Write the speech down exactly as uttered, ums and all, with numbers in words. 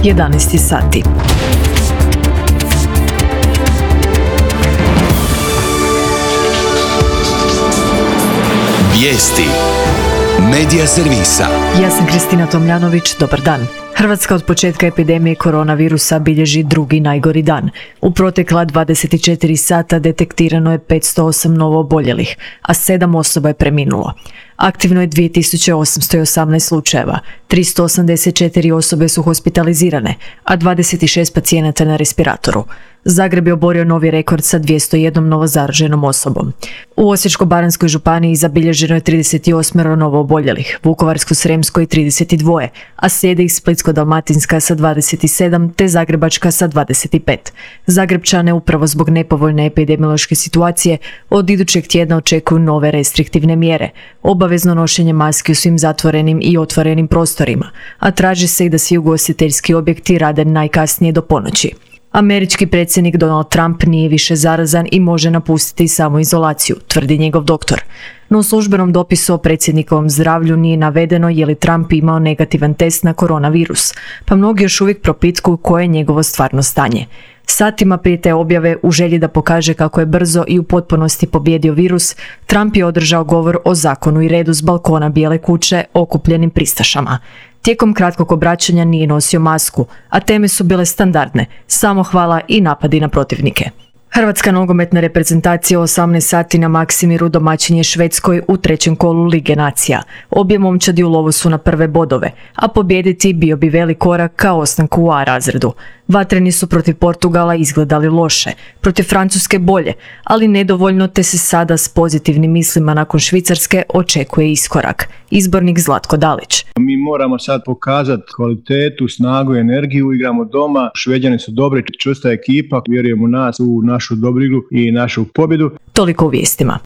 jedanaest sati. Vijesti Medija servisa. Ja sam Kristina Tomljanović, dobar dan. Hrvatska od početka epidemije koronavirusa bilježi drugi najgori dan. U protekla dvadeset četiri sata detektirano je petsto osam novo oboljelih, a sedam osoba je preminulo. Aktivno je dvije tisuće osamsto osamnaest slučajeva, tristo osamdeset četiri osobe su hospitalizirane, a dvadeset šest pacijenata na respiratoru. Zagreb je oborio novi rekord sa dvjesto jednom novozaraženom osobom. U Osječko-baranjskoj županiji zabilježeno je trideset osam novo oboljelih, Vukovarsko-srijemskoj trideset dva, a slijede ih Splitsko-dalmatinska sa dvadeset sedam te Zagrebačka sa dvadeset pet. Zagrepčane upravo zbog nepovoljne epidemiološke situacije od idućeg tjedna očekuju nove restriktivne mjere, obavezno nošenje maski u svim zatvorenim i otvorenim prostorima, a traži se i da svi ugostiteljski objekti rade najkasnije do ponoći. Američki predsjednik Donald Trump nije više zarazan i može napustiti samoizolaciju, tvrdi njegov doktor. No u službenom dopisu o predsjednikovom zdravlju nije navedeno je li Trump imao negativan test na koronavirus, pa mnogi još uvijek propitkuju koje je njegovo stvarno stanje. Satima prije te objave, u želji da pokaže kako je brzo i u potpunosti pobijedio virus, Trump je održao govor o zakonu i redu s balkona Bijele kuće okupljenim pristašama. Tijekom kratkog obraćanja nije nosio masku, a teme su bile standardne, samohvala i napadi na protivnike. Hrvatska nogometna reprezentacija u osamnaest sati na Maksimiru domaćin je Švedskoj u trećem kolu Lige nacija. Obje momčadi u lovu su na prve bodove, a pobijediti bio bi velik korak ka ostanku u A razredu. Vatreni su protiv Portugala izgledali loše, protiv Francuske bolje, ali nedovoljno, te se sada s pozitivnim mislima nakon Švicarske očekuje iskorak. Izbornik Zlatko Dalić. Mi moramo sad pokazati kvalitetu, snagu i energiju, igramo doma, Šveđani su dobri, čvrsta ekipa, vjerujem u nas, u našu dobru igru i našu pobjedu. Toliko u vijestima.